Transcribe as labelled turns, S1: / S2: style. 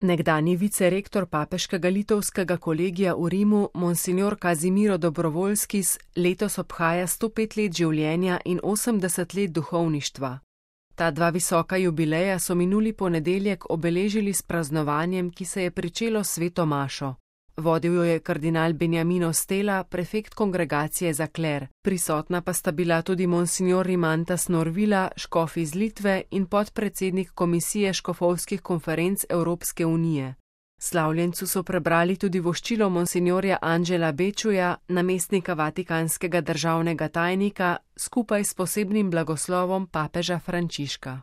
S1: Nekdanji vicerektor papeškega litovskega kolegija v Rimu, monsignor Kazimiro Dobrovoljskis, letos obhaja 105 let življenja in 80 let duhovništva. Ta dva visoka jubileja so minuli ponedeljek obeležili s praznovanjem, ki se je pričelo s sveto mašo. Vodil jo je kardinal Beniamino Stela, prefekt kongregacije za kler, prisotna pa sta bila tudi monsignor Rimantas Norvila, škof iz Litve in podpredsednik Komisije škofovskih konferenc Evropske unije. Slavljencu so prebrali tudi voščilo monsignorja Anđela Bečuja, namestnika vatikanskega državnega tajnika, skupaj s posebnim blagoslovom papeža Frančiška.